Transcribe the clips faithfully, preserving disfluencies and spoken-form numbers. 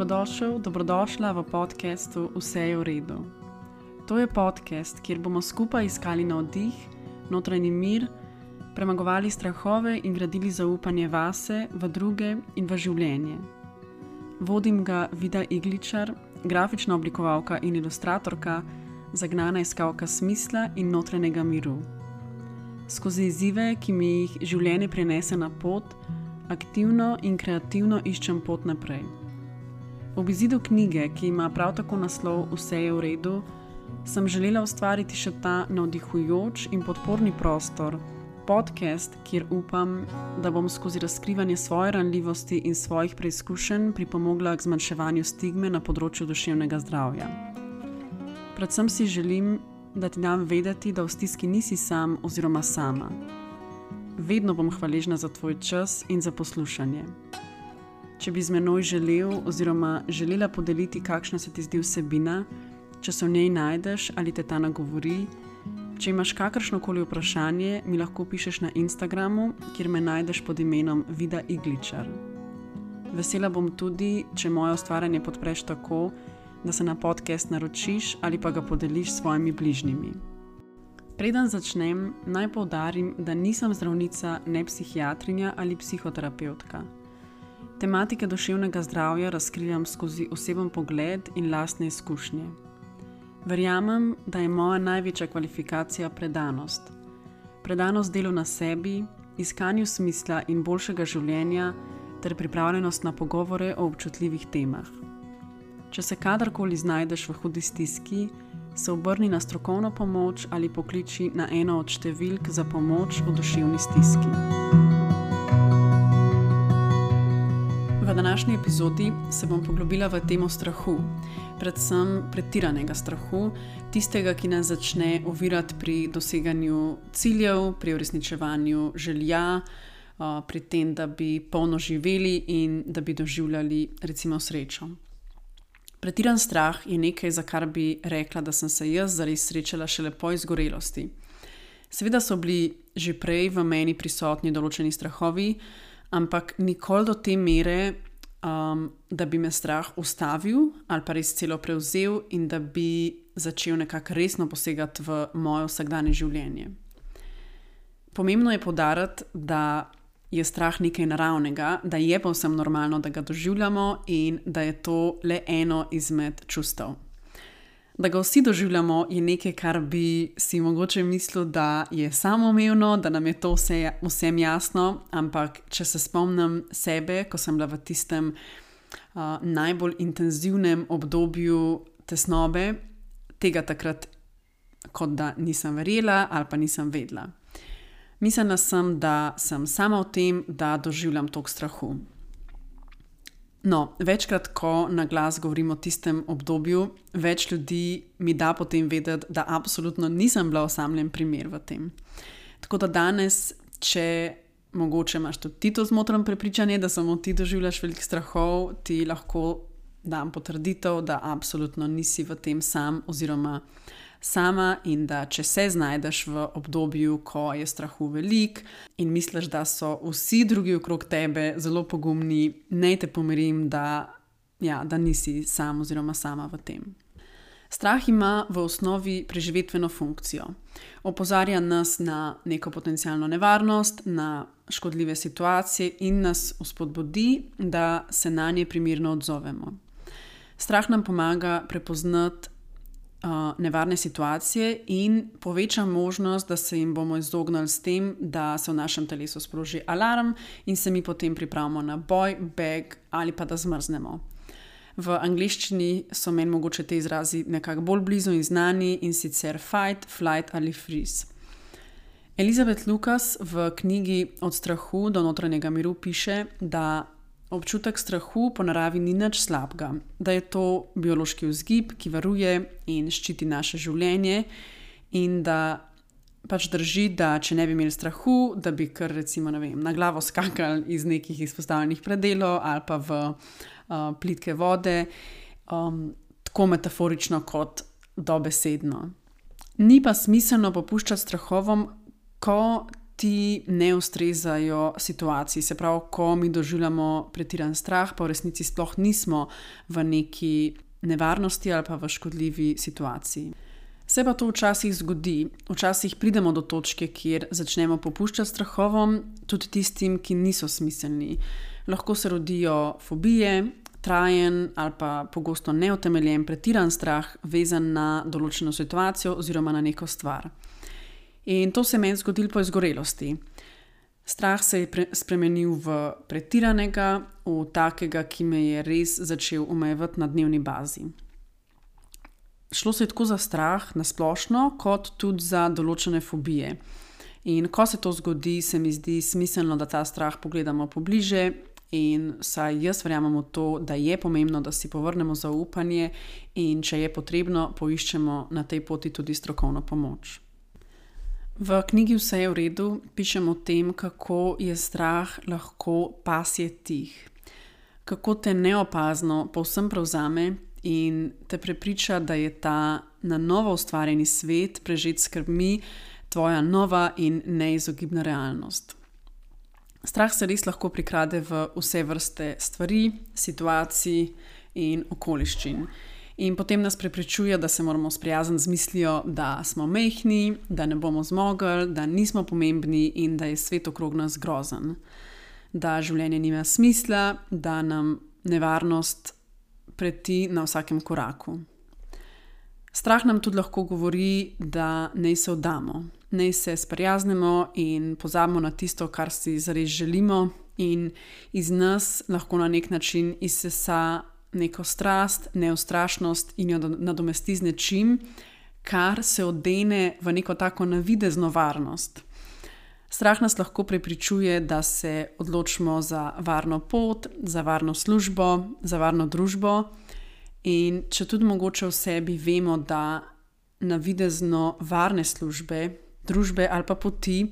Dobrodošel, dobrodošla v podcastu Vse je v redu. To je podcast, kjer bomo skupaj iskali navdih, notranji mir, premagovali strahove in gradili zaupanje vase, v druge in v življenje. Vodim ga Vida Igličar, grafična oblikovalka in ilustratorka, zagnana iskalka smisla in notranjega miru. Skozi izzive, ki mi jih življenje prinese na pot, aktivno in kreativno iščem pot naprej. Ob izidu knjige, ki ima prav tako naslov Vse je v redu, sem želela ustvariti še ta navdihujoč in podporni prostor, podcast, kjer upam, da bom skozi razkrivanje svoje ranljivosti in svojih preizkušenj pripomogla k zmanjševanju stigme na področju duševnega zdravja. Predvsem si želim, da ti dam vedeti, da v stiski nisi sam oziroma sama. Vedno bom hvaležna za tvoj čas in za poslušanje. Če bi z menoj želel oziroma želela podeliti, kakšna se ti zdi vsebina, če se v njej najdeš ali te ta nagovori, če imaš kakršnokoli vprašanje, mi lahko pišeš na Instagramu, kjer me najdeš pod imenom Vida Igličar. Vesela bom tudi, če moje ustvarjanje podpreš tako, da se na podcast naročiš ali pa ga podeliš s svojimi bližnjimi. Preden začnem, naj poudarim, da nisem zdravnica, ne psihiatrinja ali psihoterapevtka. Tematike duševnega zdravja razkrivam skozi oseben pogled in lastne izkušnje. Verjamem, da je moja največja kvalifikacija predanost. Predanost delu na sebi, iskanju smisla in boljšega življenja ter pripravljenost na pogovore o občutljivih temah. Če se kadarkoli znajdeš v hudi stiski, se obrni na strokovno pomoč ali pokliči na eno od številk za pomoč v duševni stiski. V današnji epizodi se bom poglobila v temo strahu, predvsem pretiranega strahu, tistega, ki nas začne ovirati pri doseganju ciljev, pri uresničevanju želja, pri tem, da bi polno živeli in da bi doživljali recimo srečo. Pretiran strah je nekaj, za kar bi rekla, da sem se jaz zares srečala šele po izgorelosti. Seveda so bili že prej v meni prisotni določeni strahovi, ampak nikoli do te mere, um, da bi me strah ustavil ali pa res celo prevzel in da bi začel nekako resno posegati v moje vsakdanje življenje. Pomembno je poudariti, da je strah nekaj naravnega, da je povsem normalno, da ga doživljamo in da je to le eno izmed čustev. Da ga vsi doživljamo je nekaj, kar bi si mogoče mislil, da je samoumevno, da nam je to vse, vsem jasno, ampak če se spomnim sebe, ko sem bila v tistem uh, najbolj intenzivnem obdobju tesnobe, tega takrat kot da nisem verjela ali pa nisem vedela. Mislila sem, da sem sama v tem, da doživljam toliko strahu. No, večkrat, ko na glas govorim o tistem obdobju, več ljudi mi da potem vedeti, da absolutno nisem bila osamljen primer v tem. Tako da danes, če mogoče imaš tudi ti to zmotreno prepričanje, da samo ti doživljaš veliko strahov, ti lahko dam potrditev, da absolutno nisi v tem sam oziroma sama in da če se znajdeš v obdobju, ko je strahu velik in misliš, da so vsi drugi okrog tebe zelo pogumni, naj te pomirim, da, ja, da nisi sam oziroma sama v tem. Strah ima v osnovi preživetveno funkcijo. Opozarja nas na neko potencialno nevarnost, na škodljive situacije in nas vzpodbudi, da se na nje primerno odzovemo. Strah nam pomaga prepoznati nevarne situacije in poveča možnost, da se jim bomo izognili s tem, da se v našem telesu sproži alarm in se mi potem pripravimo na boj, beg ali pa da zmrznemo. V angleščini so meni mogoče te izrazi nekako bolj blizu in znani in sicer fight, flight ali freeze. Elizabeth Lucas v knjigi Od strahu do notranjega miru piše, da občutek strahu po naravi ni nič slabega, da je to biološki vzgib, ki varuje in ščiti naše življenje in da pač drži, da če ne bi imeli strahu, da bi kar recimo, ne vem, na glavo skakali iz nekih izpostavljenih predelov ali pa v uh, plitke vode, um, tako metaforično kot dobesedno. Ni pa smiselno popuščati strahovom, ko ti ne ustrezajo situaciji. Se pravi, ko mi doživljamo pretiran strah, pa v resnici sploh nismo v neki nevarnosti ali pa v škodljivi situaciji. Se pa to včasih zgodi. Včasih pridemo do točke, kjer začnemo popuščati strahovom, tudi tistim, ki niso smiselni. Lahko se rodijo fobije, trajen ali pa pogosto neutemeljen pretiran strah, vezan na določeno situacijo oziroma na neko stvar. In to se je meni zgodilo po izgorelosti. Strah se je pre- spremenil v pretiranega, v takega, ki me je res začel omejevati na dnevni bazi. Šlo se je tako za strah na splošno, kot tudi za določene fobije. In ko se to zgodi, se mi zdi smiselno, da ta strah pogledamo pobliže in saj jaz verjamem v to, da je pomembno, da si povrnemo zaupanje in če je potrebno, poiščemo na tej poti tudi strokovno pomoč. V knjigi Vse je v redu pišem o tem, kako je strah lahko pasje tih. Kako te neopazno povsem prevzame in te prepriča, da je ta na novo ustvarjeni svet, prežet skrbmi, tvoja nova in neizogibna realnost. Strah se res lahko prikrade v vse vrste stvari, situacij in okoliščin. In potem nas prepričuje, da se moramo sprijazniti z mislijo, da smo majhni, da ne bomo zmogli, da nismo pomembni in da je svet okrog nas grozen. Da življenje nima smisla, da nam nevarnost preti na vsakem koraku. Strah nam tudi lahko govori, da naj se vdamo, naj se sprijaznemo in pozabimo na tisto, kar si zares želimo, in iz nas lahko na nek način izsesa neko strast, neustrašnost in jo nadomesti z nečim, kar se odene v neko tako navidezno varnost. Strah nas lahko prepričuje, da se odločimo za varno pot, za varno službo, za varno družbo, in če tudi mogoče v sebi vemo, da navidezno varne službe, družbe ali pa poti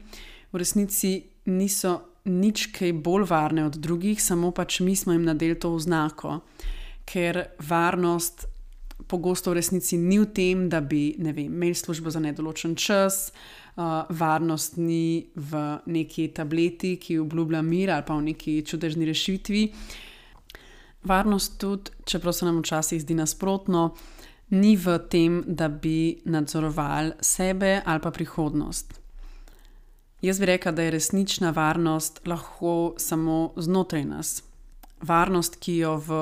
v resnici niso nič kaj bolj varne od drugih, samo pač mi smo jim nadeli to oznako. Ker varnost pogosto v resnici ni v tem, da bi, ne vem, imeli službo za nedoločen čas, uh, varnost ni v neki tableti, ki obljublja mir, ali pa v neki čudežni rešitvi. Varnost tudi, čeprav se nam včasih zdi nasprotno, ni v tem, da bi nadzorovali sebe ali pa prihodnost. Jaz bi rekla, da je resnična varnost lahko samo znotraj nas. Varnost, ki jo v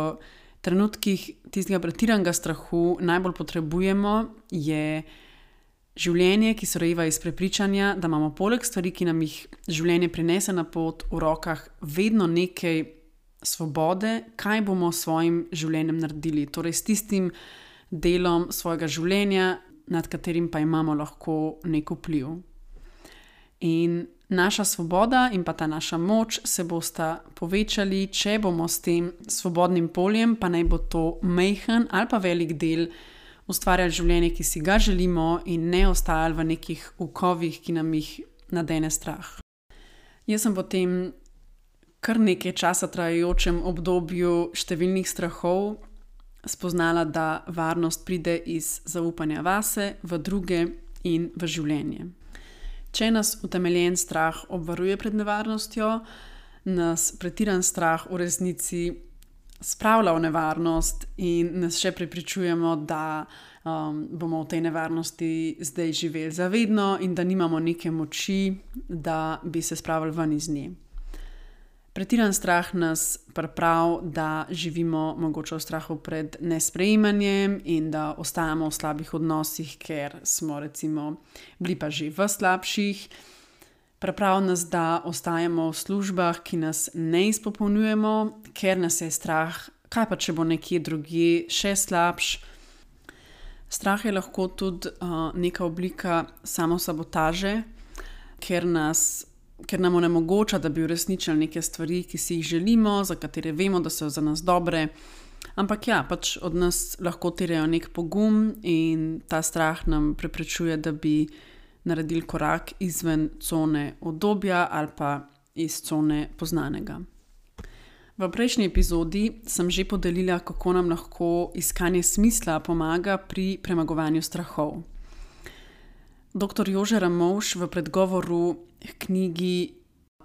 trenutkih tistega pretiranega strahu najbolj potrebujemo, je življenje, ki se rojeva iz prepričanja, da imamo poleg stvari, ki nam jih življenje prinese na pot, v rokah vedno nekaj svobode, kaj bomo s svojim življenjem naredili, torej s tistim delom svojega življenja, nad katerim pa imamo lahko nek vpliv. In naša svoboda in pa ta naša moč se bosta povečali, če bomo s tem svobodnim poljem, pa naj bo to majhen ali pa velik del, ustvarjali življenje, ki si ga želimo, in ne ostajali v nekih okovih, ki nam jih nadene strah. Jaz sem potem kar nekaj časa trajajočem obdobju številnih strahov spoznala, da varnost pride iz zaupanja vase, v druge in v življenje. Če nas utemeljen strah obvaruje pred nevarnostjo, nas pretiran strah v resnici spravlja v nevarnost in nas še prepričujemo, da um, bomo v tej nevarnosti zdaj živeli zavedno in da nimamo neke moči, da bi se spravili ven iz nje. Pretiran strah nas pripravi, da živimo mogoče v strahu pred nesprejemanjem in da ostajamo v slabih odnosih, ker smo recimo bili pa že v slabših. Pripravi nas, da ostajamo v službah, ki nas ne izpopolnjujemo, ker nas je strah, kaj pa če bo nekje drugje še slabš. Strah je lahko tudi uh, neka oblika samosabotaže, ker nas ker nam onemogoča, da bi uresničili neke stvari, ki si jih želimo, za katere vemo, da so za nas dobre. Ampak ja, pač od nas lahko terjajo nek pogum in ta strah nam preprečuje, da bi naredili korak izven cone udobja ali pa iz cone poznanega. V prejšnji epizodi sem že podelila, kako nam lahko iskanje smisla pomaga pri premagovanju strahov. doktor Jože Ramovš v predgovoru k knjigi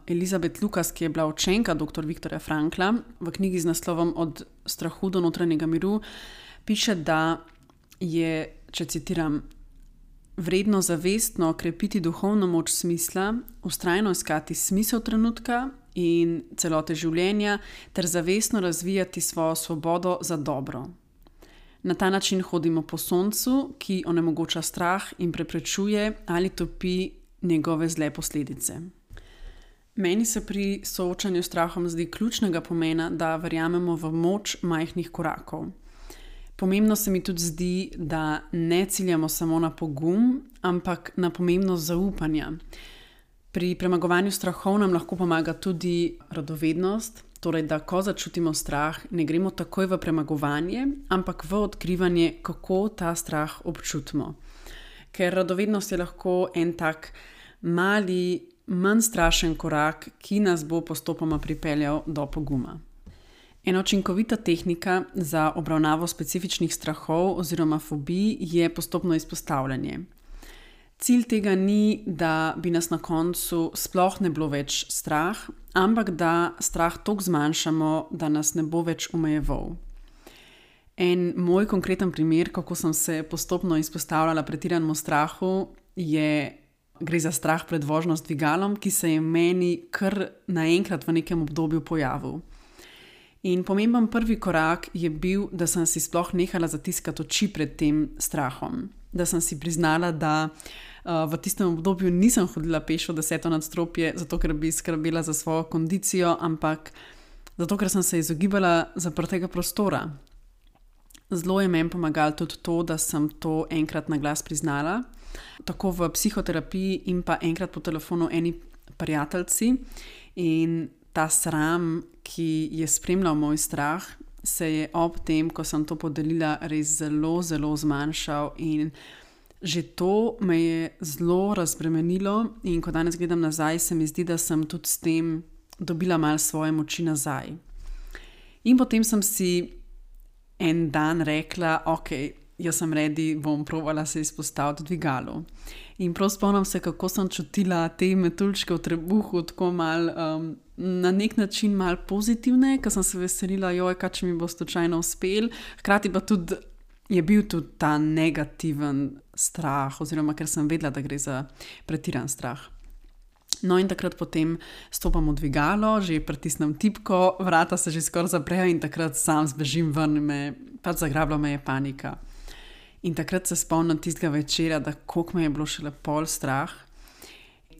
Elizabeth Lucas, ki je bila učenka doktor Viktorja Frankla, v knjigi z naslovom Od strahu do notranjega miru, piše, da je, če citiram, vredno zavestno krepiti duhovno moč smisla, vztrajno iskati smisel trenutka in celote življenja ter zavestno razvijati svojo svobodo za dobro. Na ta način hodimo po soncu, ki onemogoča strah in preprečuje ali topi njegove zle posledice. Meni se pri soočanju s strahom zdi ključnega pomena, da verjamemo v moč majhnih korakov. Pomembno se mi tudi zdi, da ne ciljamo samo na pogum, ampak na pomembnost zaupanja. Pri premagovanju strahov nam lahko pomaga tudi radovednost, torej da ko začutimo strah, ne gremo takoj v premagovanje, ampak v odkrivanje, kako ta strah občutimo. Ker radovednost je lahko en tak mali, manj strašen korak, ki nas bo postopoma pripeljal do poguma. Ena učinkovita tehnika za obravnavo specifičnih strahov oziroma fobij je postopno izpostavljanje. Cilj tega ni, da bi nas na koncu sploh ne bilo več strah, ampak da strah toliko zmanjšamo, da nas ne bo več omejeval. En moj konkreten primer, kako sem se postopno izpostavljala pretiranemu strahu, je, gre za strah pred vožnjo z dvigalom, ki se je meni kar naenkrat v nekem obdobju pojavil. In pomemben prvi korak je bil, da sem si sploh nehala zatiskati oči pred tem strahom. Da sem si priznala, da uh, v tistem obdobju nisem hodila peš v deseto nadstropje, zato ker bi skrbela za svojo kondicijo, ampak zato ker sem se izogibala zaprtega prostora. Zelo je meni pomagalo tudi to, da sem to enkrat na glas priznala, tako v psihoterapiji in pa enkrat po telefonu eni prijateljici. In ta sram, ki je spremljal moj strah, se je ob tem, ko sem to podelila, res zelo, zelo zmanjšal in že to me je zelo razbremenilo in ko danes gledam nazaj, se mi zdi, da sem tudi s tem dobila malo svoje moči nazaj. In potem sem si en dan rekla, ok, jaz sem ready, bom provala se izpostaviti dvigalu. In prav spomnim se, kako sem čutila te metuljčke v trebuhu, tako mal, um, na nek način mal pozitivne, ker sem se veselila, joj, kaj če mi bo slučajno uspel. Hkrati pa tudi je bil tudi ta negativen strah, oziroma ker sem vedela, da gre za pretiran strah. No in takrat potem stopam v dvigalo, že pritisnem tipko, vrata se že skoraj zaprejo in takrat sam zbežim ven, me, pač zagrabila me je panika. In takrat se spomnim tistega večera, da koliko me je bilo šele pol strah.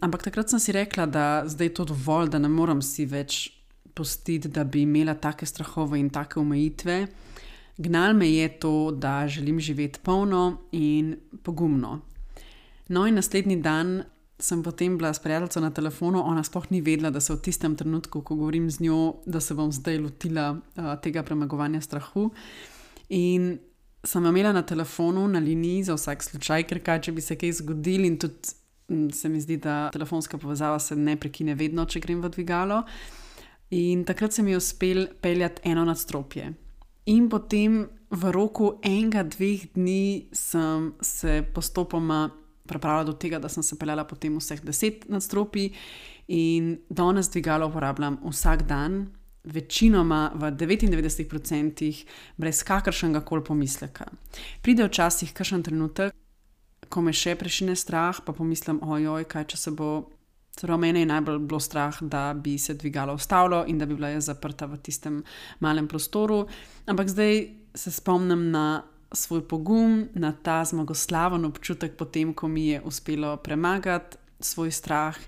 Ampak takrat sem si rekla, da zdaj je to dovolj, da ne morem si več pustiti, da bi imela take strahove in take omejitve. Gnal me je to, da želim živeti polno in pogumno. No in naslednji dan sem potem bila s prijateljico na telefonu, ona sploh ni vedela, da se v tistem trenutku, ko govorim z njo, da se bom zdaj lotila uh, tega premagovanja strahu. In sem imela na telefonu, na liniji za vsak slučaj, ker kaj, če bi se kaj zgodil in tudi se mi zdi, da telefonska povezava se ne prekine vedno, če grem v dvigalo. In takrat se mi je uspel peljati eno nadstropje. In potem v roku enega, dveh dni sem se postopoma pripravila do tega, da sem se peljala potem vseh deset nadstropij in danes dvigalo uporabljam vsak dan, večinoma v devetindevetdeset procentih brez kakršnega koli pomisleka. Pride včasih kakšen trenutek, ko me še prešine strah, pa pomislim, ojoj, kaj če se bo, celo mene je najbolj bilo strah, da bi se dvigalo ustavilo in da bi bila jaz zaprta v tistem malem prostoru. Ampak zdaj se spomnim na svoj pogum, na ta zmagoslaven občutek potem, ko mi je uspelo premagati svoj strah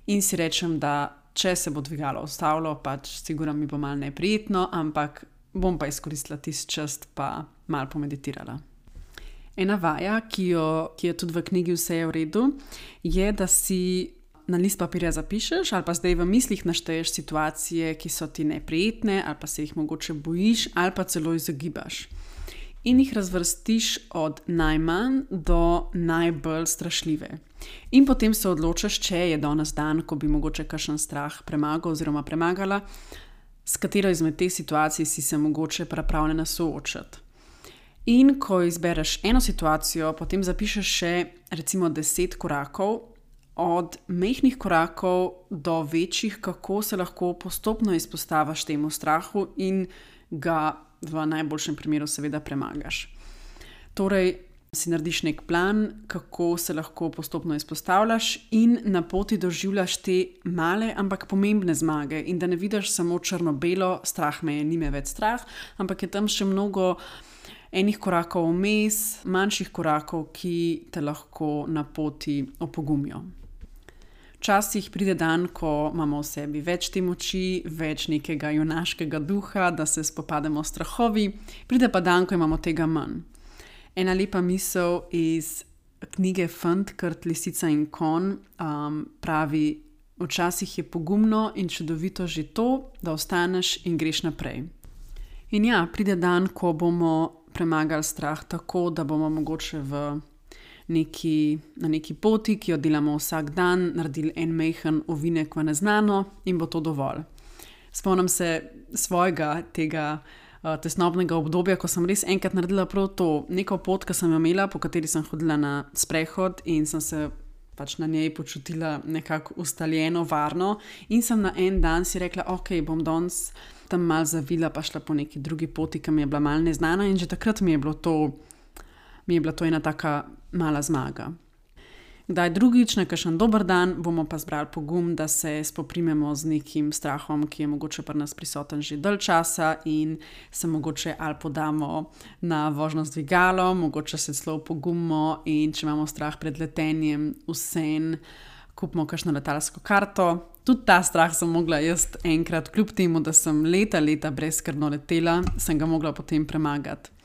in si rečem, da če se bo dvigalo ustavilo, pač sigurno mi bo malo neprijetno, ampak bom pa izkoristila tisti čas pa malo pomeditirala. Ena vaja, ki, jo, ki je tudi v knjigi Vse je v redu, je, da si na list papirja zapišeš ali pa zdaj v mislih našteješ situacije, ki so ti neprijetne ali pa se jih mogoče bojiš ali pa celo izogibaš. In jih razvrstiš od najmanj do najbolj strašljive. In potem se odločiš, če je danes dan, ko bi mogoče kakšen strah premagal oziroma premagala, s katero izmed teh situacij si se mogoče pripravljena soočati. In ko izbereš eno situacijo, potem zapišeš še recimo deset korakov, od majhnih korakov do večjih, kako se lahko postopno izpostaviš temu strahu in ga v najboljšem primeru seveda premagaš. Torej, si narediš nek plan, kako se lahko postopno izpostavljaš in na poti doživljaš te male, ampak pomembne zmage in da ne vidiš samo črno-belo, strah me je, ni me več strah, ampak je tam še mnogo enih korakov vmes, manjših korakov, ki te lahko na poti opogumijo. Včasih pride dan, ko imamo v sebi več te moči, več nekega junaškega duha, da se spopademo s strahovi, pride pa dan, ko imamo tega manj. Ena lepa misel iz knjige Fant, Krt, lisica in konj um, pravi: včasih je pogumno in čudovito že to, da ostaneš in greš naprej. In ja, pride dan, ko bomo premagali strah tako, da bomo mogoče v neki, na neki poti, ki jo delamo vsak dan, naredili en majhen ovinek v neznano in bo to dovolj. Spomnim se svojega tega tesnobnega obdobja, ko sem res enkrat naredila prav to, neko pot, ki sem jo imela, po kateri sem hodila na sprehod in sem se pač na njej počutila nekako ustaljeno, varno in sem na en dan si rekla, ok, bom danes tam malo zavila pa šla po neki drugi poti, ki mi je bila malo neznana in že takrat mi je bilo to, mi je bila to ena taka mala zmaga. Kdaj drugič, na kakšen dober dan, bomo pa zbrali pogum, da se spoprimemo z nekim strahom, ki je mogoče pri nas prisoten že dalj časa in se mogoče ali podamo na vožnjo z dvigalom, mogoče se celo pogumimo in če imamo strah pred letenjem, vseeno kupimo kakšno letalsko karto. Tudi ta strah sem mogla jaz enkrat, kljub temu, da sem leta, leta brezskrbno letela, sem ga mogla potem premagati.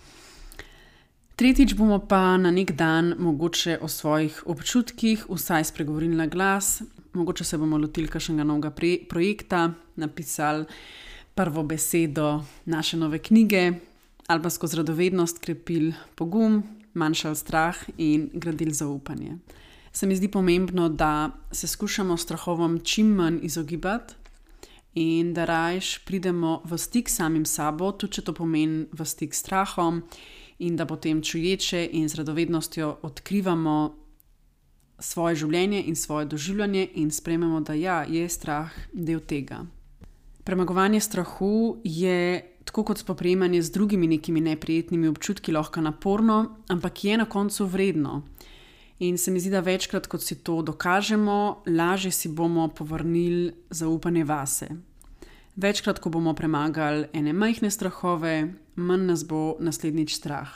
Tretjič bomo pa na nek dan mogoče o svojih občutkih vsaj spregovorili na glas, mogoče se bomo lotili kakšnega novega projekta, napisali prvo besedo naše nove knjige ali pa skozi radovednost krepili pogum, manjšali strah in gradili zaupanje. Se mi zdi pomembno, da se skušamo strahovom čim manj izogibati in da rajš pridemo v stik s samim sabo, tudi če to pomeni v stik s strahom, in da potem čuječe in z radovednostjo odkrivamo svoje življenje in svoje doživljanje in sprejmemo, da ja, je strah del tega. Premagovanje strahu je, tako kot spoprijemanje z drugimi nekimi neprijetnimi občutki, lahko naporno, ampak je na koncu vredno. In se mi zdi, da večkrat, kot si to dokažemo, lažje si bomo povrnili zaupanje vase. Večkrat, ko bomo premagali ene majhne strahove, manj nas bo naslednjič strah.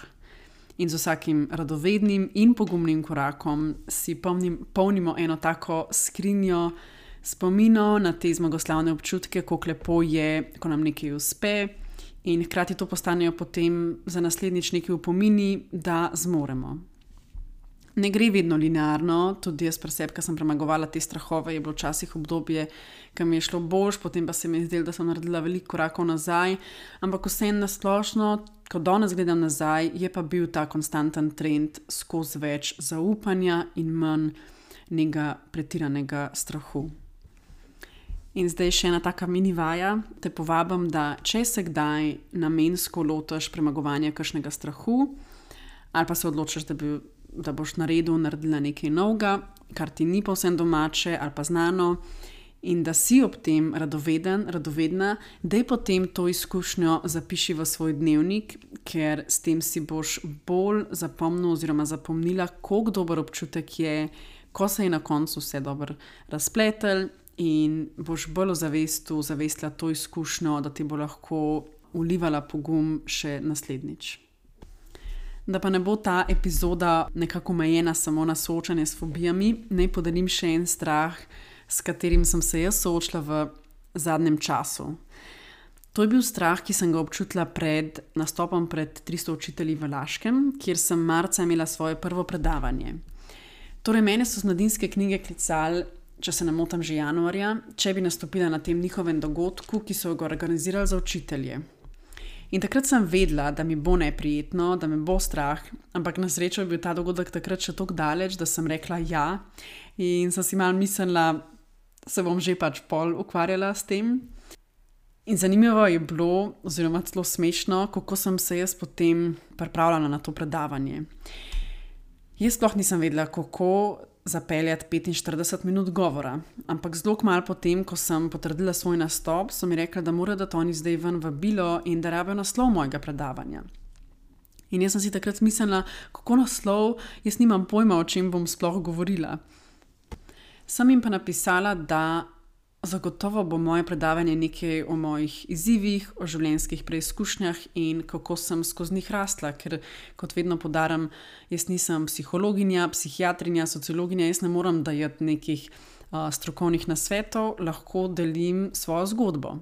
In z vsakim radovednim in pogumnim korakom si polnim, polnimo eno tako skrinjo spominov na te zmagoslavne občutke, kako lepo je, ko nam nekaj uspe in hkrati to postanejo potem za naslednjič neki upomini, da zmoremo. Ne gre vedno linearno, tudi jaz pri sebi, ko sem premagovala te strahove, je bilo včasih obdobje, ki mi je šlo boljš, potem pa se mi je zdelo, da sem naredila veliko korakov nazaj, ampak vseeno na splošno, ko danes gledam nazaj, je pa bil ta konstanten trend skozi več zaupanja in manj nekega pretiranega strahu. In zdaj še ena taka mini vaja, te povabim, da če se kdaj namensko lotiš premagovanja kakšnega strahu, ali pa se odločiš, da bi da boš naredil, naredila nekaj novega, kar ti ni povsem domače ali pa znano in da si ob tem radoveden, radovedna, da je potem to izkušnjo zapiši v svoj dnevnik, ker s tem si boš bolj zapomnil oziroma zapomnila, koliko dober občutek je, ko se je na koncu vse dobro razpletel in boš bolj v zavestu zavestila to izkušnjo, da ti bo lahko vlivala pogum še naslednjič. Da pa ne bo ta epizoda nekako omejena samo na soočanje s fobijami, naj podelim še en strah, s katerim sem se jaz soočila v zadnjem času. To je bil strah, ki sem ga občutila pred nastopom pred tristo učitelji v Laškem, kjer sem marca imela svoje prvo predavanje. Torej, mene so z Mladinske knjige klicali, če se ne motim že januarja, če bi nastopila na tem njihovem dogodku, ki so ga organizirali za učitelje. In takrat sem vedela, da mi bo neprijetno, da me bo strah, ampak na srečo je bil ta dogodek takrat še toliko daleč, da sem rekla ja in sem si malo mislila, se bom že pač pol ukvarjala s tem. In zanimivo je bilo, oziroma celo smešno, kako sem se jaz potem pripravljala na to predavanje. Jaz sploh nisem vedela, kako zapeljati petinštirideset minut govora, ampak zelo kmalu potem, ko sem potrdila svoj nastop, so mi rekli, da morajo dati oni zdaj ven vabilo in da rabijo naslov mojega predavanja. In jaz sem si takrat mislila, kako naslov, jaz nimam pojma, o čem bom sploh govorila. Sem jim pa napisala, da zagotovo bo moje predavanje nekaj o mojih izzivih, o življenjskih preizkušnjah in kako sem skozi njih rasla, ker kot vedno poudarjam, jaz nisem psihologinja, psihiatrinja, sociologinja, jaz ne morem dajati nekih uh, strokovnih nasvetov, lahko delim svojo zgodbo.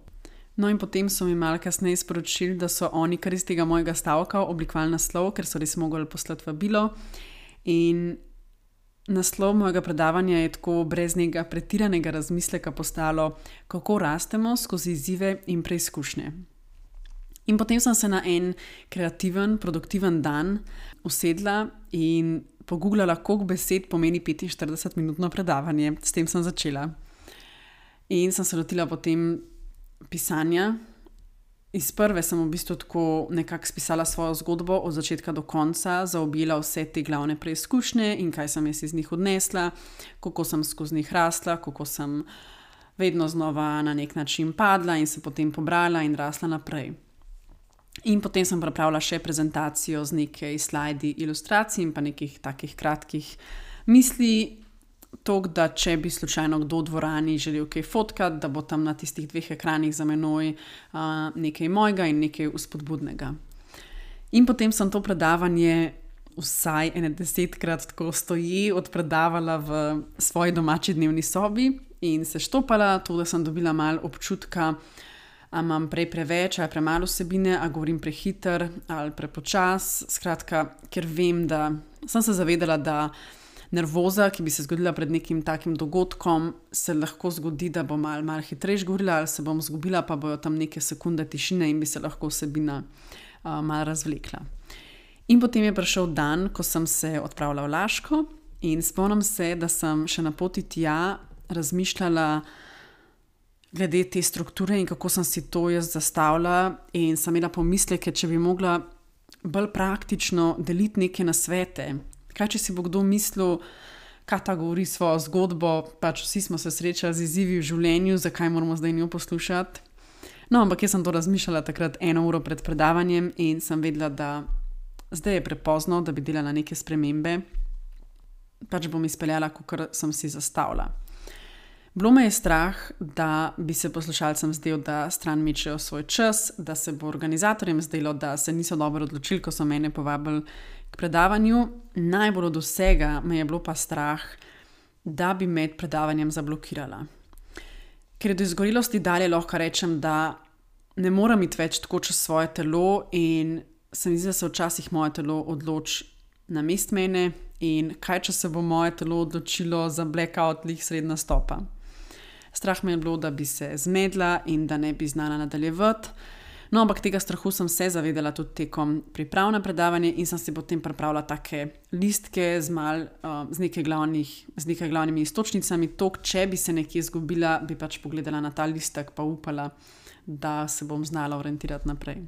No in potem so mi malo kasneje sporočili, da so oni kar iz tega mojega stavka oblikovali naslov, ker so res mogli poslati vabilo. In naslov mojega predavanja je tako brez nekega pretiranega razmisleka postalo, kako rastemo skozi izzive in preizkušnje. In potem sem se na en kreativen, produktiven dan usedla in pogooglala, koliko besed pomeni petinštiridesetminutno predavanje. S tem sem začela. In sem se lotila potem pisanja. Iz prve sem v bistvu tako nekako spisala svojo zgodbo od začetka do konca, zaobjela vse te glavne preizkušnje in kaj sem jaz iz njih odnesla, kako sem skozi njih rasla, kako sem vedno znova na nek način padla in se potem pobrala in rasla naprej. In potem sem pripravila še prezentacijo z nekaj slajdi, ilustracij in pa nekih takih kratkih misli, toliko, da če bi slučajno kdo v dvorani želel kaj fotkati, da bo tam na tistih dveh ekranih za menoj uh, nekaj mojega in nekaj vzpodbudnega. In potem sem to predavanje vsaj ene desetkrat tako stoji odpredavala v svoji domači dnevni sobi in se štopala, to, da sem dobila malo občutka, a imam prej preveč ali premalo vsebine, a govorim prehiter ali prepočas. Skratka, ker vem, da sem se zavedala, da nervoza, ki bi se zgodila pred nekim takim dogodkom, se lahko zgodi, da bom malo, malo hitreje govorila ali se bom zgubila, pa bojo tam neke sekunde tišine in bi se lahko vsebina uh, malo razvlekla. In potem je prišel dan, ko sem se odpravila v Laško in spomnim se, da sem še na poti tja razmišljala glede te strukture in kako sem si to jaz zastavila in sem imela pomisleke, če bi mogla bolj praktično deliti neke nasvete. Kaj, če si bo kdo mislil, kaj ta govori svojo zgodbo, pač vsi smo se srečali z izzivi v življenju, zakaj moramo zdaj njo poslušati. No, ampak jaz sem to razmišljala takrat eno uro pred predavanjem in sem vedela, da zdaj je prepozno, da bi delala neke spremembe. Pač bom izpeljala, kakor sem si zastavila. Bilo me je strah, da bi se poslušalcem zdelo, da stran mečejo svoj čas, da se bo organizatorjem zdelo, da se niso dobro odločili, ko so mene povabili k predavanju. Najbolj od vsega me je bilo pa strah, da bi med predavanjem zablokirala. Ker je do izgorelosti dalje lahko rečem, da ne moram iti več tako čez svoje telo in se mi zdi, da se včasih moje telo odloči namest mene in kaj, če se bo moje telo odločilo za blackout lih sredi nastopa. Strah me je bilo, da bi se zmedla in da ne bi znala nadaljevati. No, ampak tega strahu sem se zavedala tudi tekom priprav na predavanje in sem si potem pripravila take listke z, mal, uh, z, nekaj glavnih, z nekaj glavnimi istočnicami. Tok, če bi se nekje izgubila, bi pač pogledala na ta listek pa upala, da se bom znala orientirati naprej.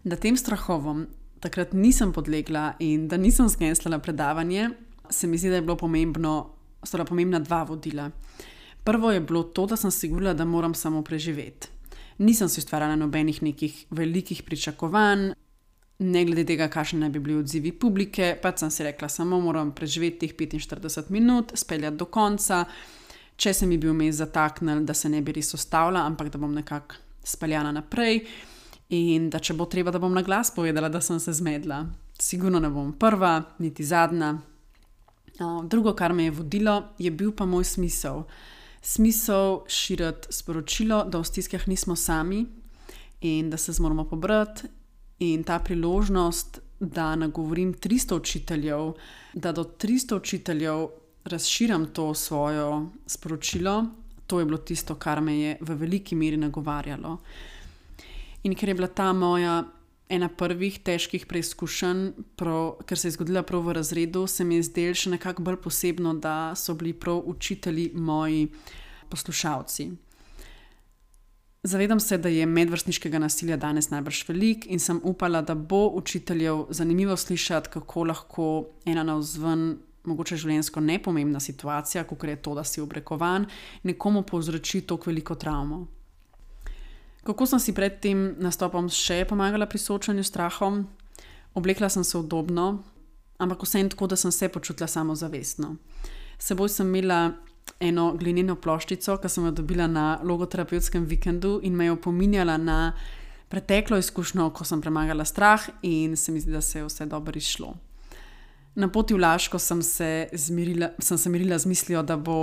Da tem strahovom takrat nisem podlegla in da nisem zgenslala predavanje, se mi zdi, da je bilo pomembno, so pomembna dva vodila. Prvo je bilo to, da sem si govorila, da moram samo preživeti. Nisem si ustvarjala nobenih nekih velikih pričakovanj, ne glede tega, kakšni naj bi bili odzivi publike, pač sem si rekla, samo moram preživeti teh petinštirideset minut, speljati do konca, če se mi bi vmes zataknili, da se ne bi res ustavila, ampak da bom nekako speljana naprej in da če bo treba, da bom na glas povedala, da sem se zmedla. Sigurno ne bom prva, niti zadnja. Drugo, kar me je vodilo, je bil pa moj smisel. Smisel širiti sporočilo, da v stiskah nismo sami in da se zmoramo pobrati in ta priložnost, da nagovorim tristo učiteljev, da do tristo učiteljev razširam to svojo sporočilo, to je bilo tisto, kar me je v veliki meri nagovarjalo. In ker je bila ta moja ena prvih težkih preizkušenj, prav, ker se je zgodila prav v razredu, se mi je zdelo še nekako bolj posebno, da so bili prav učitelji moji poslušalci. Zavedam se, da je medvrstniškega nasilja danes najbrž veliko in sem upala, da bo učiteljev zanimivo slišati, kako lahko ena navzven mogoče življenjsko nepomembna situacija, kakor je to, da si obrekovan, nekomu povzroči toliko veliko travmo. Kako sem si pred tem nastopom še pomagala pri soočanju s strahom? Oblekla sem se udobno, ampak vseeno tako, da sem se počutila samozavestno. S seboj sem imela eno glineno ploščico, ki sem jo dobila na logoterapevtskem vikendu in me je opominjala na preteklo izkušnjo, ko sem premagala strah in se mi zdi, da se je vse dobro izšlo. Na poti v Laško sem se, zmirila, sem se mirila z mislijo, da bo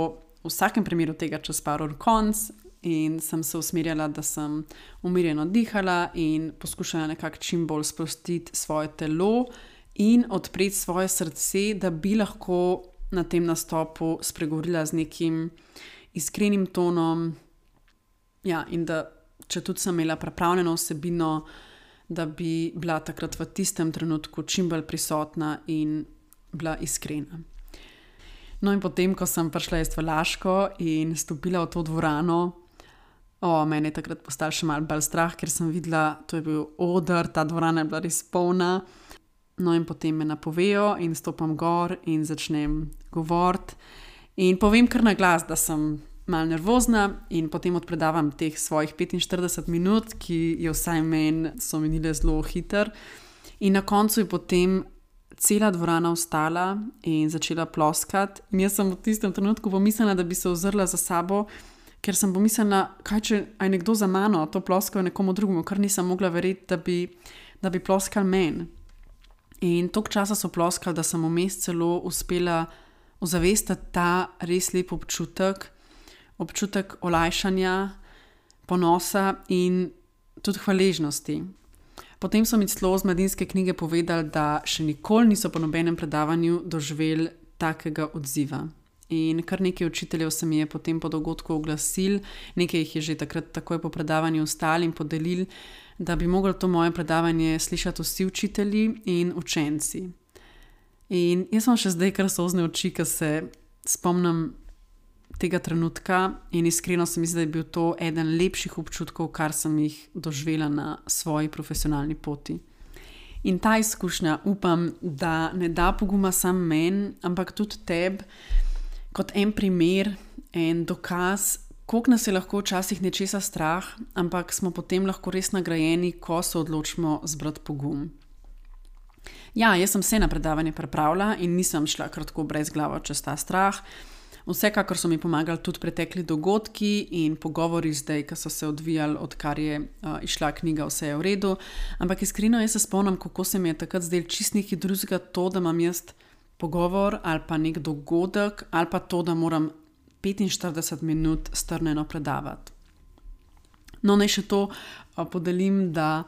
v vsakem primeru tega čez par ur konc in sem se usmerjala, da sem umirjeno dihala in poskušala nekako čim bolj sprostiti svoje telo in odpreti svoje srce, da bi lahko na tem nastopu spregovorila z nekim iskrenim tonom, ja, in da če tudi sem imela pripravljeno vsebino, da bi bila takrat v tistem trenutku čim bolj prisotna in bila iskrena. No in potem, ko sem prišla jaz v Laško in stopila v to dvorano, o, meni je takrat postal še malo bolj strah, ker sem videla, to je bil oder, ta dvorana je bila res polna. No in potem me napovejo in stopam gor in začnem govoriti in povem kar na glas, da sem malo nervozna in potem odpredavam teh svojih petinštirideset minut, ki je vsaj meni so minile zelo hitro. In na koncu je potem cela dvorana vstala in začela ploskati in jaz sem v tistem trenutku pomislila, da bi se ozrla za sabo, ker sem pomislila, kaj če je nekdo za mano, to ploskal nekomu drugemu, kar nisem mogla verjeti, da bi, da bi ploskal meni. In toliko časa so ploskali, da sem vmes celo uspela ozavestiti ta res lep občutek, občutek olajšanja, ponosa in tudi hvaležnosti. Potem so mi celo z Mladinske knjige povedali, da še nikoli niso po nobenem predavanju doživeli takega odziva. In kar nekaj učiteljev se mi je potem po dogodku oglasil, nekaj jih je že takrat takoj po predavanju ostali in podelili, da bi mogli to moje predavanje slišati vsi učitelji in učenci. In jaz sem še zdaj kar solzne oči, ko se spomnim tega trenutka in iskreno se mi zdi, da je bil to eden lepših občutkov, kar sem jih doživela na svoji profesionalni poti. In ta izkušnja upam, da ne da poguma sam meni, ampak tudi tebi, kot en primer, en dokaz, koliko nas je lahko včasih nečesa strah, ampak smo potem lahko res nagrajeni, ko se odločimo zbrati pogum. Ja, jaz sem se na predavanje pripravila in nisem šla kar tako brez glavo čez ta strah. Vsekakor so mi pomagali tudi pretekli dogodki in pogovori zdaj, ki so se odvijali, odkar je uh, išla knjiga Vse je v redu. Ampak iskreno jaz se spomnim, kako se mi je takrat zdelo čisto nekaj drugega to, da imam jaz pogovor ali pa nek dogodek ali pa to, da moram petinštirideset minut strnjeno predavati. No, naj še to uh, podelim, da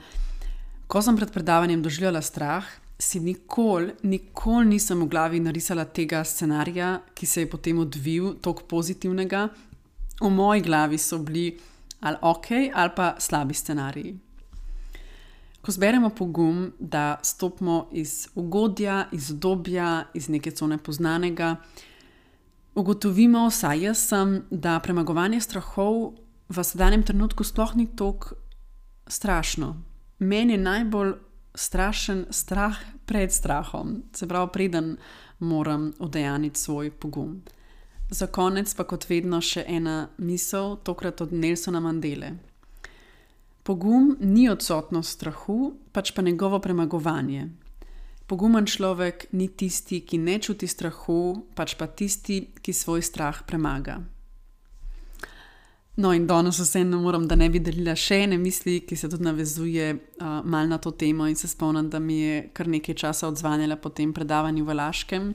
ko sem pred predavanjem doživljala strah, si nikoli, nikoli nisem v glavi narisala tega scenarija, ki se je potem odvil, toliko pozitivnega. V moji glavi so bili ali ok, ali pa slabi scenariji. Ko zberemo pogum, da stopimo iz ugodja, iz udobja, iz neke cone poznanega, ugotovimo, vsaj jaz sem, da premagovanje strahov v sedanjem trenutku sploh ni toliko strašno. Meni je najbolj strašen strah pred strahom, se pravi, preden moram udejaniti svoj pogum. Za konec pa kot vedno še ena misel, tokrat od Nelsona Mandele. Pogum ni odsotnost strahu, pač pa njegovo premagovanje. Pogumen človek ni tisti, ki ne čuti strahu, pač pa tisti, ki svoj strah premaga. No in danes vseeno moram, da ne bi delila še ene misli, ki se tudi navezuje uh, malo na to temo in se spomnim, da mi je kar nekaj časa odzvanjala po tem predavanju v Laškem.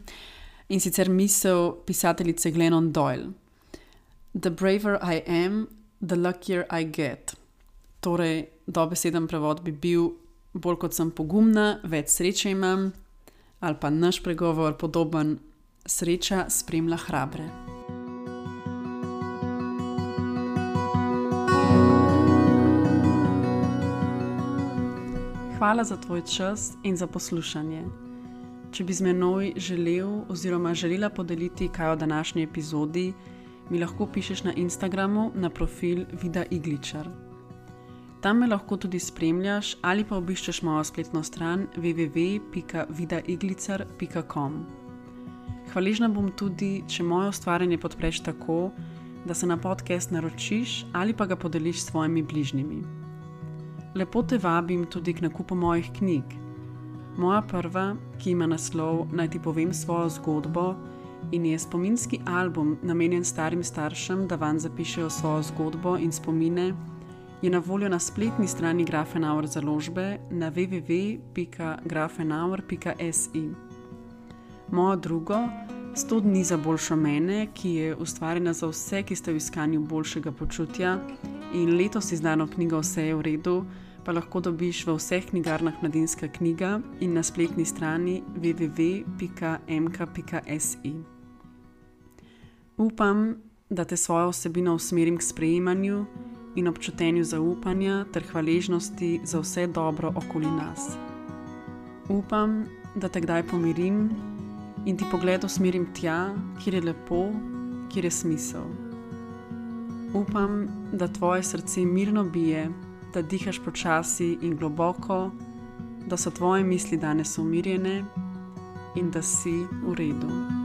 In sicer misel pisateljice Glennon Doyle. The braver I am, the luckier I get. Torej, dobeseden prevod bi bil, bolj kot sem pogumna, več sreče imam, ali pa naš pregovor podoben, sreča spremlja hrabre. Hvala za tvoj čas in za poslušanje. Če bi z menoj želel oziroma želela podeliti kaj o današnji epizodi, mi lahko pišeš na Instagramu na profil Vida Igličar. Tam me lahko tudi spremljaš ali pa obiščeš mojo spletno stran w w w pika vida iglicar pika com. Hvaležna bom tudi, če moje ustvarjanje podpreš tako, da se na podcast naročiš ali pa ga podeliš s svojimi bližnjimi. Lepo te vabim tudi k nakupu mojih knjig. Moja prva, ki ima naslov Naj ti povem svojo zgodbo in je spominski album namenjen starim staršem, da vanj zapišejo svojo zgodbo in spomine, je na voljo na spletni strani Grafenauer založbe na w w w pika grafenauer pika s i. Mojo drugo, sto dni za boljšo mene, ki je ustvarjena za vse, ki ste v iskanju boljšega počutja, in letos izdano knjigo Vse je v redu, pa lahko dobiš v vseh knjigarnah Mladinska knjiga in na spletni strani w w w pika m k pika s i. Upam, da te svojo vsebino usmerim k sprejemanju in občutenju zaupanja ter hvaležnosti za vse dobro okoli nas. Upam, da te kdaj pomirim in ti pogled usmerim tja, kjer je lepo, kjer je smisel. Upam, da tvoje srce mirno bije, da dihaš počasi in globoko, da so tvoje misli danes umirjene in da si v redu.